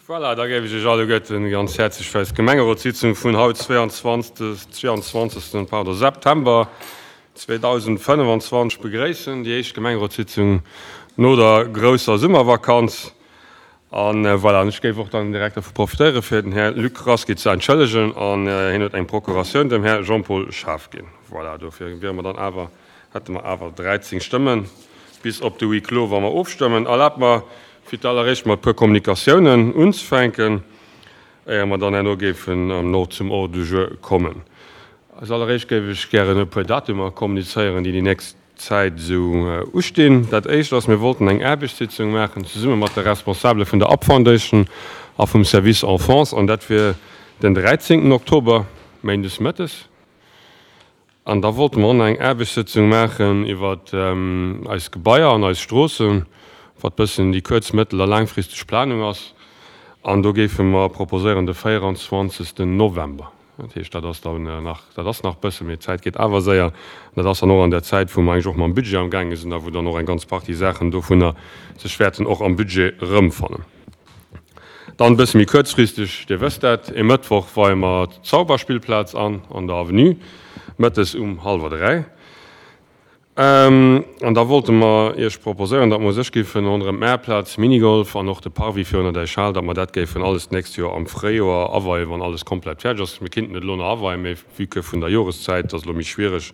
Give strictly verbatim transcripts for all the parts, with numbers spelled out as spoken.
Voilà, da géif ech Iech alleguerten ganz häerzlech fir eis Gemengerotssitzung vun haut, zweiundzwanzeg, pardon, September zweedausendfënnefenzwanzeg begréissen. Déi éischt Gemengerotssitzung no der grousser Summervakanz. An voilà, an ech géif och dann direkt dervu profitéieren, fir den Här Luc Rasqui ze entschëllegen. An hien huet eng Procuratioun dem Här Jean-Paul Schaaf ginn. Voilà, dofir wiere mer dann awer, hätte mer awer dräizéng Stëmmen bis op de Huis clos, wa mer ofstëmmen. Erlaabt mer, fir d'alleréischt mat e puer Kommunikatiounen unzefänken, éier mer dann herno géifen no zum Ordre du jour kommen. Als alleréischt géif ech gären e puer Datumer kommunizéieren, déi déi nächst Zäit esou ustinn. Dat éischt ass, mir wollten eng Aarbechtssitzung maachen, zesumme mat de Responsabele vun der Up Foundation a vum Service Enfance, an dat wier den dräizéngten Oktober, méindes mëttes. An da wollte mer och nach eng Aarbechtssëtzung maachen iwwer eis Gebaier an eis Stroossen, wat bëssen déi kuerz-, mëttel a laangfristeg Planung ass. An do géife mer proposéieren de véieranzwanzegsten November. Dat heescht, dat ass dann nach, dat ass nach bëssen, mee d'Zäit geet awer séier. An dat ass dann och an der Zäit, wou mer eigentlech och mam Budget amgaange sinn a wou dann och eng ganz Partie Saachen dovunner sech wäerten och am Budget erëmfannen. Dann e bësse méi kuerzfristeg, Dir wësst dat, e Mëttwoch weie mer d'Zauberspillplaz an, an der Avenue, mëttes um hallwer dräi. An da wollte mer Iech proposéieren, datt mer u sech géifen ronderëm d'Maartplaz, Minigolf an och de Parvis virun der Däichhal, datt mer dat géifen alles d'nächst Joer am Fréijoer aweien, wann alles komplett fäerdeg ass. Mir kinnten et elo nach aweien, mee vue que vun der Joreszäit ass elo méi schwiereg.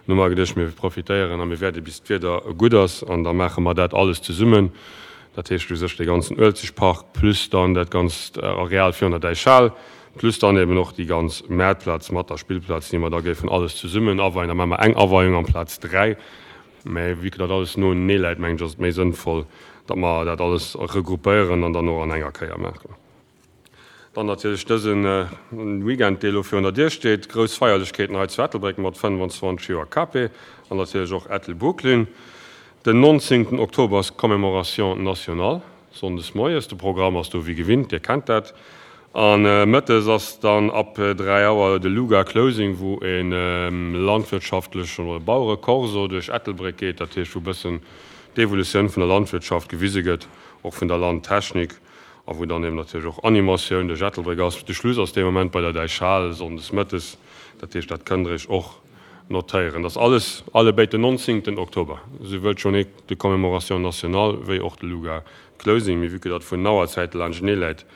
Hu mer geduecht, mir profitéieren a mir wäerde bis d'Wieder gutt ass an da maache mer dat alles zesummen. Dat heescht u sech dee ganzen Uelzechtpark plus dann dat ganzt Areal virun der Däichhal plus dann eben och déi ganz Maartplaz mat der Spillplaz, déi mer da géifen alles zesummen aweien. Da maache mer eng Aweiung amplaz dräi. Mä vue que dat alles noenee läit, mengen ech, ass et méi sënnvoll, datt mer dat alles regroupéieren an dann och an enger Kéier maachen. Dann natierlech dëse Weekend, dee elo virun der Dier steet, grouss Feierlechkeeten hei zu Ettelbréck mat fënnefenzwanzeg Joer K P an natierlech och Ettelbrucklyn. Den nonzéngten Oktober ass Commémoration nationale, sonndes moies. De Programm ass do wéi gewinnt, Dir kennt dat. A mëttes ass dann ab dräi Auer de Luga Closing, wou e landwirtschaftlechen oder Bauerekorso duerch Ettelbréck geet, dat heescht wou e bëssen d'Evolutioun vun der Landwirtschaft gewise gëtt, och vun der Landtechnik, a wou dann eben natierlech och Animatioun duerch Ettelbréck ass. De Schluss ass dee Moment bei der Däichhal, sonndes mëttes, dat heescht dat kënnt Der Iech och notéieren. Dat ass alles allebéid den nonzéngten Oktober, souwuel d'Journée de commémoration nationale wéi och de Luga Closing. Mee vue que dat vun den Auerzäite laanschtenee läit,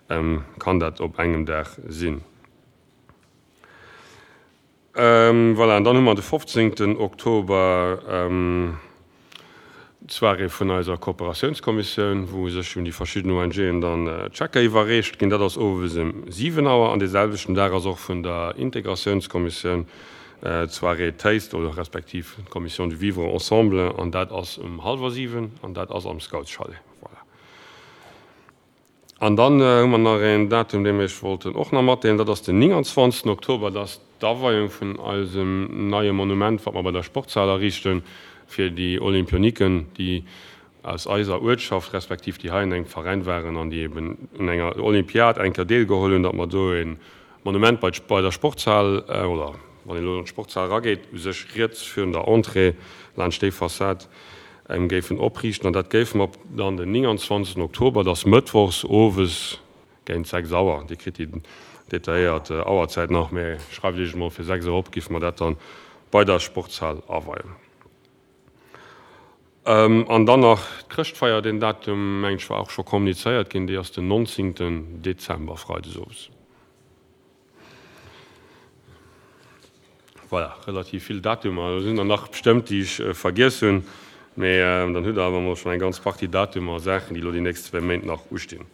kann dat op engem Dag sinn. Voilà, an dann hu mer de fofzéngten Oktober d'Soirée vun eiser Kooperatiounskommissioun, wou sech un déi verschidden O N G'en dann Schecker iwwerreecht ginn. Dat ass owes ëm siwen Auer. An dee selwechten Dag ass och vun der Integratiounskommissioun d'Soirée Taste oder respektiv d'Commission du Vivre Ensemble, an dat ass um hallwer siwen an dat ass am Scoutschalet. Voilà. An dann hu mer nach een Datum, dee mir iech wollten och nach matdeelen, dat ass den nénganzwanzegsten Oktober, dat ass d'Aweiung vun eisem neie Monument, wat mer bei der Sportshal erriichten, fir déi Olympioniken, déi aus eiser Uertschaft, respektiv déi hei an engem Veräin waren an déi eben un enger Olympiad eng Kéier deelgeholl hunn, datt mer do e Monument bei bei der Sportshal, oder wann een elo an d'Sportshal erageet, u sech riets virun der Entrée laanscht déi Fassad, géifen opriichten. An dat géife mer dann den nénganzwanzegsten Oktober, dat ass mëttwochs owes géint sechs Auer. Dir kritt déi detailléiert Auerzäit nach, mä schreift Iech emol fir sechs Auer op, géife mer dat dann bei der Sportshal aweien. An dann nach d'Chrëschtfeier, deen Datum, mengen ech, war och scho kommunizéiert ginn, déi ass den nonzéngten Dezember, freides owes. Voilà, relativ vill Datumer. Do sinn der nach bestëmmt, déi ech vergiess hunn, mee dann hutt Der awer emol schonn eng ganz Partie Datumer a Saachen, déi elo déi nächst zwee Méint nach ustinn.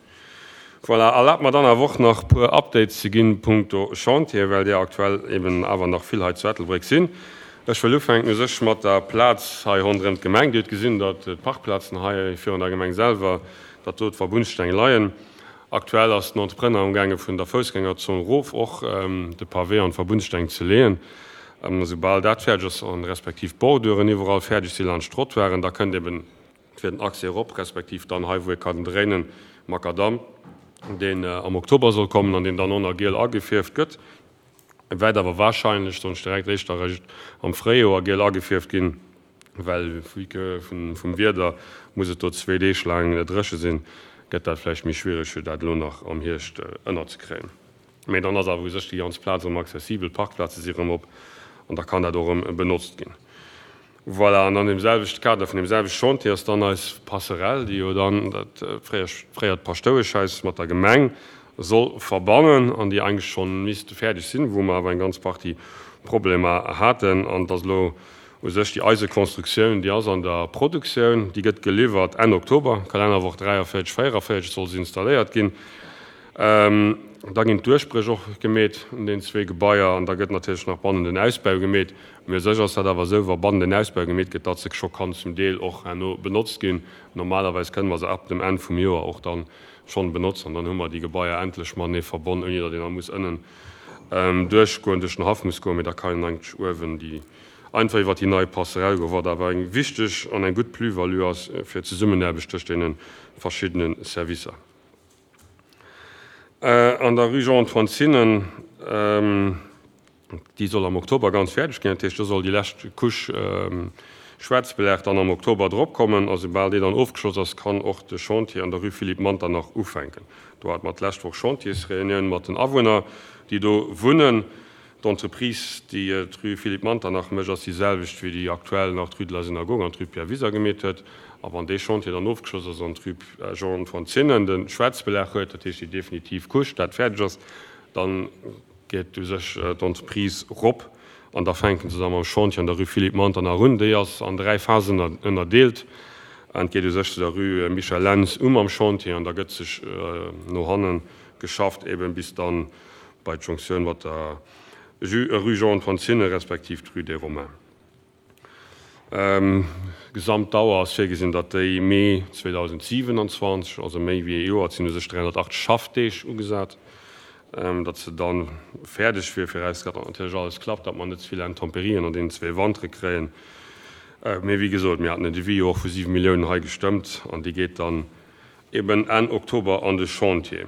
Voilà, erlaabt mer dann awer och nach puer Updates ze ginn punkto Chantier, well där aktuell eben awer nach vill hei zu Ettelbréck sinn. Ech wëll ufänken u sech mat der Plaz hei ronderëm d'Gemeng. Dir hutt gesinn, datt d'Parkplazen hei virun der Gemeng selwer, datt do d'Verbundsteng leien. Aktuell ass den Entrepreneur amgaange vun der Foussgängerzon erof och de Pavé an d'Verbundsteng ze leeën. Soubal dat fäerdeg ass an respektiv d'Borduren iwwerall fäerdeg si laanscht d'Trottoiren, da kënnt eben fir den Accès erop, respektiv dann hei wou ee kann dréinen, Makadamm, deen am Oktober soll kommen an deen dann och nach giel agefierft gëtt. E wäert awer wahrscheinlech, soen ech direkt, éischter eréischt am Fréijoer giel agefierft ginn, well vue que vum Wieder muss et do zwee Deeg laang dréche sinn, gëtt dat vläicht méi schwiereg, fir dat elo nach am Hierscht ënnerzekréien. Mee dann ass awer u sech déi ganz Plaz erëm accessibel, d'Parkplaze si erëm op an da kann dat och erëm benotzt ginn. Voilà, an an deem selwechte Kader vun deem selwechte Chantier ass dann eis Passerelle, déi jo dann dat fréiert Paschtoueschhaus mat der Gemeng soll verbannen an déi eigentlech schonn misst fäerdeg sinn, wou mer awer eng ganz Partie Problemer haten. An et ass elo u sech déi Eisekonstruktioun, déi ass an der Produktioun, déi gëtt geliwwert Enn Oktober, Kalennerwoch dräiavéierzeg, véieraavéierzeg soll se installéiert ginn. Da ginn d'Duerchbréch och gemeet un den zwee Gebaier an da gëtt natierlech nach bannen den Ausbau gemeet. Mee u sech ass dat awer esou, wa bannen den Ausbau gemeet gëtt, datt se scho kann zum Deel och herno benotzt ginn. Normalerweis kënne mer se ab dem Enn vum Joer och dann schonn benotzen an dann hu mer déi Gebaier endlech matenee verbonn, ouni datt een da muss ënnen duerchgoen, duerch den Haff muss goen, mee da kann een eigentlech uewen déi einfach iwwert déi nei Passerelle goen, wat awer eng wichteg an eng gutt Plus-value ass fir d'Zesummenaarbecht tëscht deene verschiddene Servicer. An der Rue Jean-Antoine Zinnen, déi soll am Oktober ganz fäerdeg ginn, dat heescht, do soll déi lescht Couche Schwaarzbelag dann am Oktober drop kommen. A soubal déi dann ofgeschloss ass, kann och de Chantier an der Rue Philippe Manternach ufänken. Do hate mer d'lescht Woch Chantiersreunioun mat den Awunner, déi do wunnen. D'Entreprise, déi d'Rue Philippe Manternach mécht, ass déi selwecht wéi déi aktuell nach d'Rue de la Synagogue an d'Rue Pierre Wiser gemeet huet. A wann dee Chantier dann ofgeschloss ass an d'Rue Jean-Antoine Zinnen de Schwaarzbelag huet, dat heescht déi definitiv Couche, dat fäerdeg ass, dann geet u sech d'Entreprise rop an da fänken se da mam Chantier an der Rue Philippe Manternach un. Déi ass an dräi Phasen ënnerdeelt. An et geet u sech zu der Rue Michel Lentz u mam Chantier an da gëtt sech no hanne geschafft, eben bis dann bei d'Jonktioun mat der Rue Jean-Antoine Zinne respektiv d'Rue des Romains. Gesamtdauer ass virgesinn, datt déi Mee zweedausendsiewenundzwanzeg, also méi wéi ee Joer, et sinn u sech dräihonnertachtzeg Schaffdeeg ugesat, datt se da fäerdeg wier, virausgesat, datt natierlech alles klappt, datt mer net ze vill Intemperien an deenen zwee Wantere kréien. Mee wéi gesot, mir haten en Devis jo och vu siwe Milliounen hei gestëmmt an dee geet dann eben Enn Oktober an de Chantier.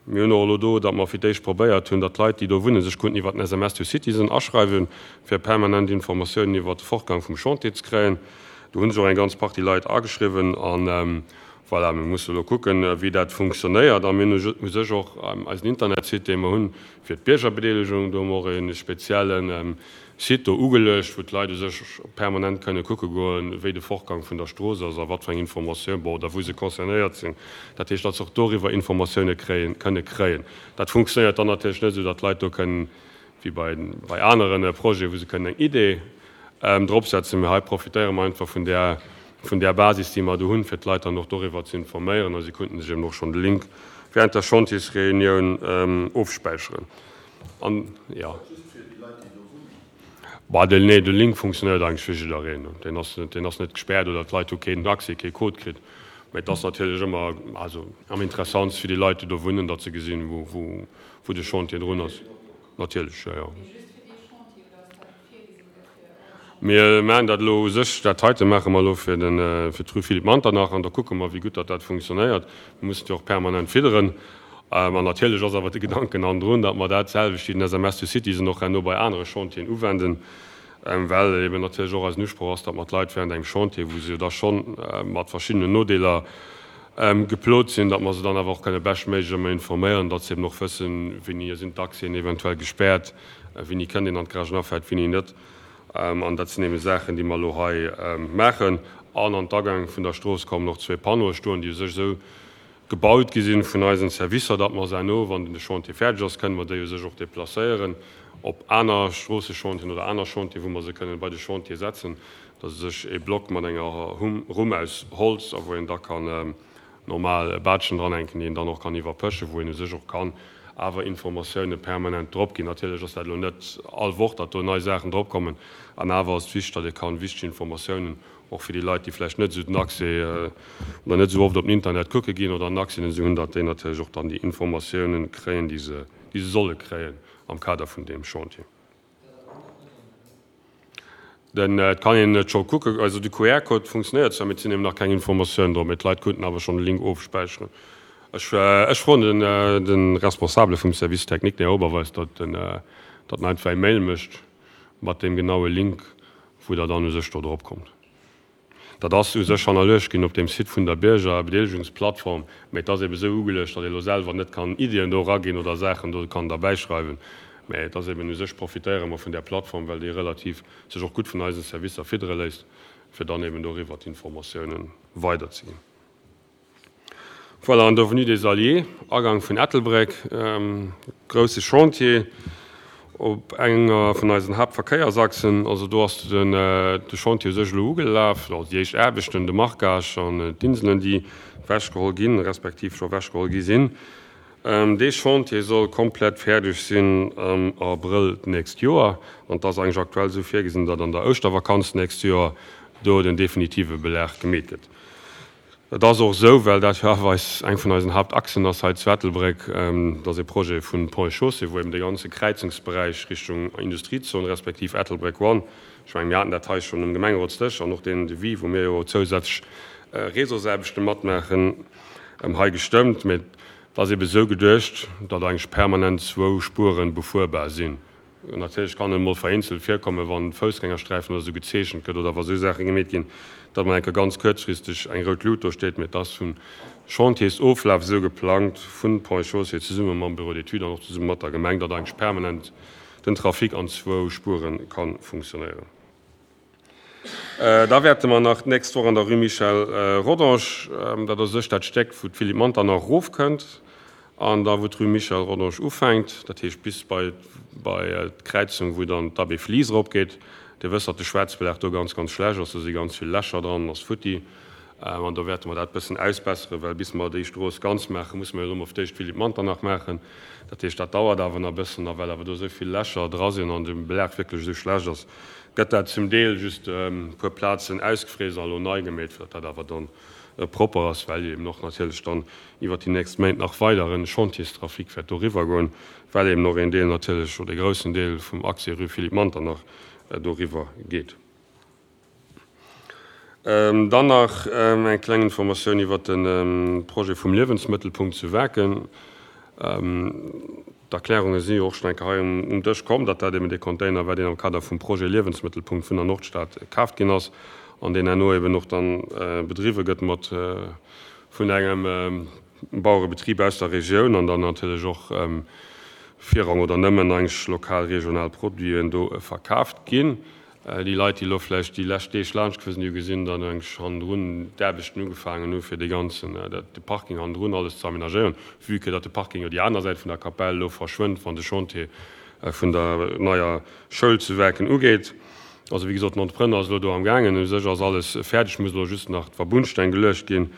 Mir hunn och elo do, datt mer fir d'éischt probéiert hunn, datt d'Leit, déi do wunnen, sech konnten iwwert den S M S to Citizen aschreiwen, fir permanent Informatiounen iwwert de Fortgang vum Chantier ze kréien. Do hu sech och eng ganz Partie Leit ageschriwwen. An voilà, mir musse elo kucken, wéi dat funktionéiert. A mir hunn u sech och eisen Internetsite, dee mer hunn fir d'Biergerbedeelegung, do hu mer och e spezielle Site do ugeluecht, wou d'Leit u sech permanent kënne kucke goen, wéi de Fortgang vun der Strooss ass a wat fir eng Informatioun, bon, oder wou se concernéiert sinn. Dat heescht, datt se och doriwwer Informatioune kréien, kënne kréien. Dat funktionéiert dann natierlech net esou, datt d'Leit do kënnen, wéi bei, bei anere Projeten, wou se kënnen eng Idee dropsetzen. Mee hei profitéiere mer einfach vun där, vun där Basis, déi mer do hunn, fir d'Leit dann och doriwwer ze informéieren. A si konnten sech eben och schonn de Link während der Chantiersreunioun ofspäicheren. An, jo. Bah, den, nee, de Link funktionéiert eigentlech fir jiddereen. Deen ass, deen ass net gespäert oder d'Leit hu keen Accès, kee Code kritt. Mä et ass natierlech ëmmer, also am interessantst fir déi Leit, déi do wunnen, datt se gesinn, wou, wou, wou de Chantier drun ass. Natierlech, jo, jo. Mir maachen dat elo u sech, dat heite maache mer elo fir den, fir d'Rue Philippe Manternach an da kucke mer, wéi gutt datt dat funktionéiert. Mir mussen jo och permanent fidderen. An natierlech ass awer de Gedanken hannendrun, datt mer dat selwecht wéi den S M S to Citizen och herno bei anere Chantieren uwenden, well eben natierlech och eisen Usproch ass, datt mer d'Leit während engem Chantier, wou se jo da schonn mat verschiddenen Nodeeler geplot sinn, datt mer se dann awer och kënne beschtméiglech ëmmer informéieren, datt se eben och wëssen, wéini sinn d'Accèsen eventuell gespäert, wéini kënnt een an d'Garagenafahrt, wéini net. An dat sinn eben Saachen, déi mer elo hei maachen. An an d'Agäng vun der Strooss kommen och zwee Panneaue stoen, déi u sech esou gebaut gi sinn vun eisen Servicer, datt mer se herno, wann de Chantier fäerdeg ass, kënne mer déi u sech och deplacéieren op aner Stroossechantieren oder aner Chantieren, wou mer se kënnen bei de Chantier setzen. Dat ass u sech ee Block mat enger Rumm aus Holz, a wou een da kann normal Baatschen dranhänken, déi een dann och kann iwwerpëschen, wou een u sech och kann awer Informatioune permanent drop ginn. Natierlech ass dat elo net all Woch, datt do nei Saachen drop kommen, an awer ass et wichteg, datt ee kann wichteg Informatiounen och fir déi Leit, déi vläicht net esou den Accès oder net esou oft op den Internet kucke ginn oder en Accès net esou hunn, datt déi natierlech och dann déi Informatiounen kréien, déi se, déi se solle kréien am Kader vun deem Chantier. Den, et kann een et scho kucken, also de Q R-Code funktionéiert zwar, mee et sinn eben nach keng Informatiounen drop, mee d'Leit konnten awer schonn de Link ofspäicheren. Ech, ech froen den, de Responsabele vum Service technique, den Här Oberweis, datt en, datt en einfach eng Mail mécht mat deem genaue Link, wou Der dann u sech do drop kommt. Dat ass u sech hannerluecht ginn op deem Site vun der Biergerbedeelegungsplattform, mä et ass ebe sou ugeluecht, datt ee lo selwer net kann Iddien do eraginn oder Saachen do kann derbäischreiwen. Mä et ass eben u sech profitéiere mer vun där Plattform, well déi relativ sech och gutt vun eisen Servicer fiddere léisst, fir dann eben doriwwer d'Informatiounen weiderzeginn. Voilà, an der Avenue des Alliés, Agang vun Ettelbréck, grousse Chantier op enger vun eisen Haaptverkéiersachsen. Also do ass den de Chantier u sech elo ugelaf, also déi éischt Aarbechten, de Marquage an d'Inselen, déi ewechgeholl ginn, respektiv scho ewechgeholl gi sinn. Dee Chantier soll komplett fäerdeg sinn am Abrëll d'nächst Joer an et ass eigentlech aktuell esou virgesinn, datt an der Ouschtervakanz d'nächst Joer do den definitive Belag gemeet gëtt. Et ass och esou, well dat jo awer eis, eng vun eisen Haaptachsen ass hei zu Ettelbréck, dass e Projet vun Ponts et Chaussées, wou eben dee ganze Kräizungsberäich Richtung Industriezon respektiv Ettelbréck One, ech mengen, mir haten dat hei schonn um Gemengerotsdësch an och deen Devis, wou mir jo zousätzlech Réseausaarbechte matmaachen, hei gestëmmt. Mä et ass eben esou geduecht, datt eigentlech permanent zwou Spuere befuerbar sinn. Natierlech kann et emol vereenzelt virkommen, wann Foussgängersträifen oder esou gezeechent gëtt oder wa sou Saache gemeet ginn, datt mol eng Kéier ganz kuerzfristeg eng rout Lut do steet. Mee et ass vum Chantiersoflaf esou geplangt, vun Ponts et Chaussées zesumme mam Bureau d'études an och zesumme mat der Gemeng, datt eigentlech permanent den Trafic an zwou Spuere ka funktionéieren. Da wäerte mer nach d'nächst Woch an der Rue Michel Rodange, dat ass u sech dat Stéck, wou d'Philippe Manternach erofkënnt, An da wou d'Rue Michel Rodange ufänkt, dat heescht bis bei bei d'Kräizung wou dann d'Abbé Flies eropgeet, Dir wësst, datt de Schwaarzbelag do ganz, ganz schlecht ass, do si ganz vill Lächer dran, ass futti. An do wäerte mer dat bëssen ausbesseren, well bis mer déi Strooss ganz maachen, musse mer jo elo mol fir d'éischt d'Philippe Manternach maachen. Dat heescht, dat dauert awer nach e bëssen. A well awer do esou vill Lächer dra sinn an de Belag wierklech esou schlecht ass, gëtt dat zum Deel just e puer Plazen ausgefräst a elo nei gemeet, fir datt dat awer dann propper ass, well eben och natierlech dann iwwert déi nächst Méint nach weidere Chantierstrafic wäert doriwwer goen, well eben och een Deel natierlech, oder ee groussen Deel vum Accès rue Philippe Manternach doriwwer geet. Dann nach eng kleng Informatioun iwwert de Projet vum Liewensmëttelpunkt zu Waarken. D'Erklärunge si jo och schonn eng Kéier hei um Dësch komm, datt dat eben dee Container war, deen am Kader vum Projet Liewensmëttelpunkt vun der Nordstad kaaft ginn ass an deen herno eben och dann bedriwwe gëtt mat vun engem Bauerebetrib aus der Regioun an dann natierlech och virrang oder nëmmen eigentlech lokal, regional Produiten do verkaaft ginn. Déi Leit, déi elo vläicht déi lescht Deeg laanscht gefuer sinn, déi hu gesinn, datt eigentlech hannendrun d'Aarbechten ugefaangen hu fir dee ganzen, dat de Parking hannendrun alles ze aménagéieren, vue que datt de Parking jo déi aner Säit vun der Kapell elo verschwënnt, wann de Chantier vun der neier Schoul zu Werken ugeet. Also wéi gesot, den Entrepreneur ass elo do am gaangen. U sech ass alles fäerdeg, muss elo just nach d'Verbundsteng geluecht ginn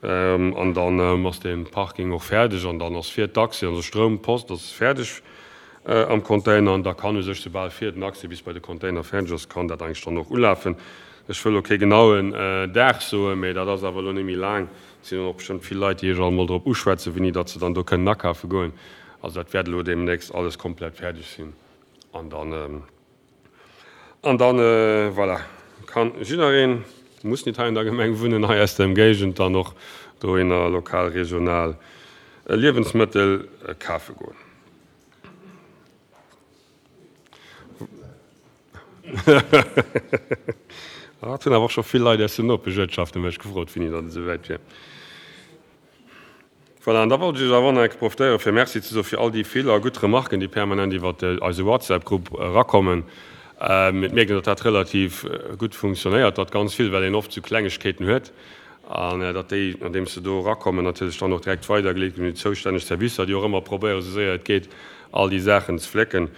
an dann ass dee Parking och fäerdeg an dann ass fir d'Accès, also Stroum, Post ass fäerdeg am Container an da kann u sech, soubal fir den Accès bis bei de Container fäerdeg ass, kann dat eigentlech dann och ulafen. Ech wëll elo kee genauen Dag soen, mee dat ass awer elo net méi laang. Et sinn och bestëmmt vill Leit, déi Iech alt emol drop uschwätzen, wéini datt se dann do kënnen akafe goen. Also dat wäert elo deemnächst alles komplett fäerdeg sinn an dann, an dann, voilà, kann jiddereen, muss nit hei an der Gemeng wunnen, hei aus der Emgéigend dann och dohinner lokal, regional Liewensmëttel kafe goen. Et hunn awer och scho vill Leit aus den Nopesch-Uertschafte mech gefrot, wéini datt et esouwäit wier. Voilà, an da wollt ech Iech awer och nach eng Kéier profitéieren, fir Merci ze soe fir all déi vill a gutt Remarken, déi permanent iwwer eise WhatsApp-Grupp erakommen. Et mierkt een, datt dat relativ gutt funktionéiert, datt ganz vill, well een oft esou Klengegkeeten huet, an datt déi, andeems se do erakommen, natierlech dann och direkt weidergeleet ginn un déi zoustänneg Servicer, déi och ëmmer probéieren, esou séier et geet, all déi Saachen ze flécken.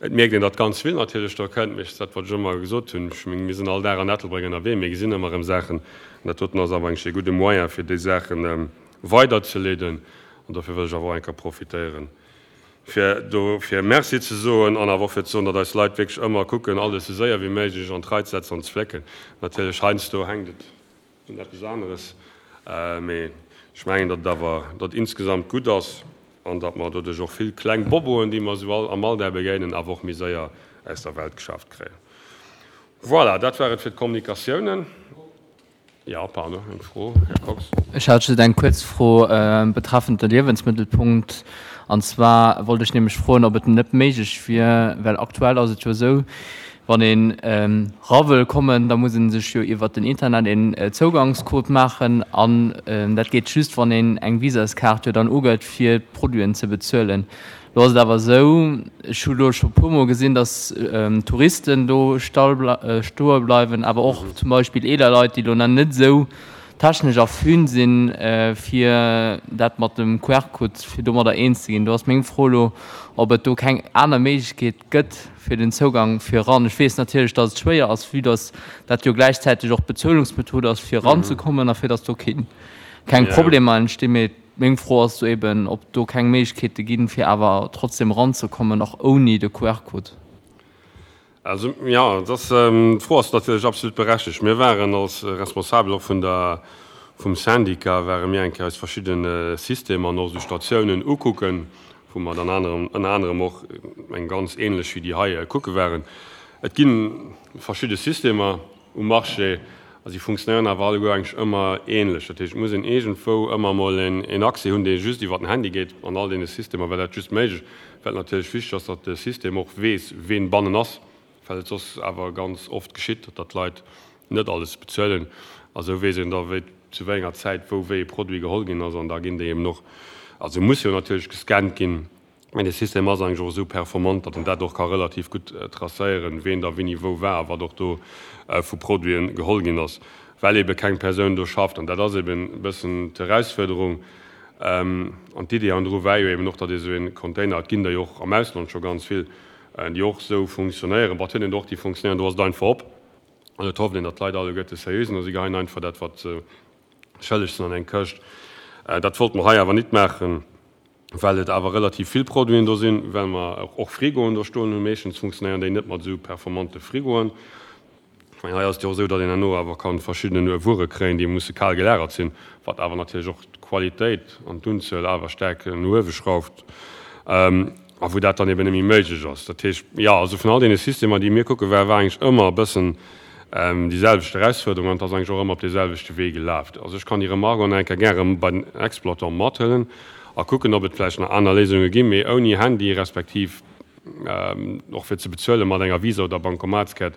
Et mierkt een, datt ganz vill natierlech do kënnt, mee dat, wat ech ëmmer gesot hunn, ech mengen, mir sinn all Dag an Ettelbréck ënnerwee, mir gesinn ëmmer erëm Saachen, an dat doten ass awer eigentlech ee gudde Moyen, fir déi Saachen weiderzeleeden. An dofir wëll ech awer och eng Kéier profitéieren, fir dofir Merci ze soen an awer och fir ze soen, datt eis Leit wierklech ëmmer kucken, alles esou séier wéi méiglech an d'Rei ze setzen an ze flécken. Natierlech heiansdo hänkt et un eppes aneres, mee ech mengen, datt et awer, datt et insgesamt gutt ass an datt mer doduerch och vill kleng Boboen, déi mer esou am Alldag begéinen, awer och méi séier aus der Welt geschaaft kréien. Voilà, dat war et fir d'Kommunikatiounen. Jo, pardon, eng Fro, Här Kox. Ech hat just eng kuerz Fro betreffend de Liewensmëttelpunkt. An zwar wollt ech nämlech froen, ob et net méiglech wier, well aktuell ass et jo esou, Wann een era wëll kommen, da muss ee sech jo iwwer den Internet een Zougangscode maachen an dat geet just, wann een eng Visaskaart jo dann ugëtt, fir d'Produiten ze bezuelen. Lo ass et awer esou, ech hu lo scho puer mol gesinn, datt Touristen do stoe bleiwen, awer och zum Beispill eeler Leit, déi lo nach net esou technesch affin sinn, fir dat mat dem QR-Code, fir domadder eens ze ginn. Do ass meng Fro elo, ob et do keng aner Méiglechkeet gëtt fir den Zougang fir eran. Ech weess natierlech, datt et schwéier ass, vue datt dat jo gläichzäiteg och d'Bezuelungsmethod ass, fir eranzekommen a fir datt do keng Problemer entstinn. Mee meng Fro ass do eben, ob do keng Méiglechkeete ginn, fir awer trotzdem eranzekommen, och ouni de QR-Code. Also, jo, et ass, d'Fro ass natierlech absolut berechtigt. Mir waren als Responsabel och vun der, vum Syndicat ware mir eng Kéier eis verschidde Systemer an och esou Statiounen ukucken, wou mer dann anerem, ënner anerem och eng ganz ähnlech wéi déi hei kucke waren. Et gi verschidde Systemer um Marché a si funktionéieren awer alleguer eigentlech ëmmer ähnlech. Dat heescht, et muss een iergendwou ëmmer emol een Accès hunn, dee just iwwer den Handy geet. An all deene Systemer war dat just méiglech, well et natierlech wichteg ass, datt de System och weess, ween bannen ass. Well et soss awer ganz oft geschitt, datt d'Leit net alles bezuelen. A sou weess een da wéi zu wéi enger Zäit wou wéi e Produit geholl ginn ass. An da ginn déi eben och, also muss jo natierlech gescannt ginn, mä de System ass eigentlech och esou performant, datt en dat och ka relativ gutt tracéieren, ween da wéini wou war a wat och do vu Produiten geholl ginn ass, well ebe keng Persoun do schafft. An dat ass eben e bëssen d'Erausfuerderung. An d'Idee hannendru war jo eben och, datt ee sou e Container, et ginn der jo och am Ausland scho ganz vill, déi och esou funktionéieren, bon, et huet een och déi funktionéieren, do ass et einfach op an et hofft een, datt d'Leit alleguerte seriö sinn a si geheien einfach dat, wat se schëlleg sinn, an eng Këscht. Dat wollte mer hei awer nit maachen, well et awer relativ vill Produiten do sinn, well mer och Frigoen do stoen hunn. Meeschtens funktionéieren déi net mat esou performante Frigoen. Ech mengen, hei ass et jo och esou, datt een herno awer ka verschidden Wuere kréien, déi musse kal gelagert sinn, wat awer natierlech och d'Qualitéit an d'Unzuel awer staark no uewe schrauft a wou dat dann eben net méi méiglech ass. Dat heescht, jo, also vun all deene Systemer, déi mir kucke waren, war eigentlech ëmmer e bëssen déi selwecht Erausfuerderung an et ass eigentlech och ëmmer op dee selwechte Wee gelaf. Also ech kann déi Remarque och nach eng Kéier gäre bei den Exploitant mathuelen a kucken, ob et vläicht nach aner Léisunge ginn, mee ouni Handy respektiv och fir ze bezuele mat enger Visa oder Bankomatskaart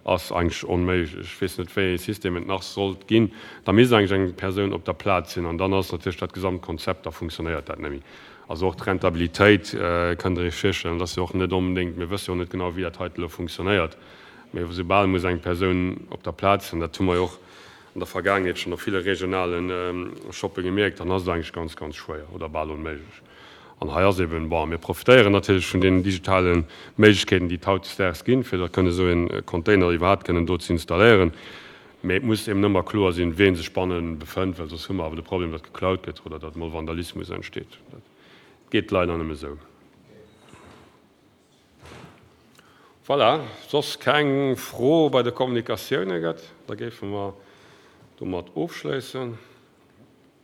ass eigentlech onméiglech. Ech weess net, wéi ee System et nach sollt ginn. Da misst eigentlech eng Persoun op der Plaz sinn an dann ass natierlech dat gesamt Konzept, da funktionéiert dat net méi. Also och d'Rentabilitéit, kënnt Der Iech virstellen, dat ass jo och net onbedéngt, mir wësse jo och net genau, wéi dat heite elo funktionéiert, mee soubal muss eng Persoun op der Plaz sinn, dat hu mer jo och an der Vergaangenheet schonn op ville regionale Shoppe gemierkt, dann ass et eigentlech ganz, ganz schwéier oder bal onméiglech. An hei ass eben, bon, mir profitéieren natierlech vun deenen digitale Méiglechkeeten, déi et hautdesdaags ginn, fir da kënne esou e Container iwwerhaapt kënnen do ze installéieren. Mee et muss eben ëmmer kloer sinn, ween sech banne befënnt, well soss hu mer awer de Problem, datt geklaut gëtt oder datt emol Vandalismus entsteet. Dat geet leider nëmme esou. Voilà, soss keng Fro bei de Kommunikatioune gëtt, da géife mer domat ofschléissen.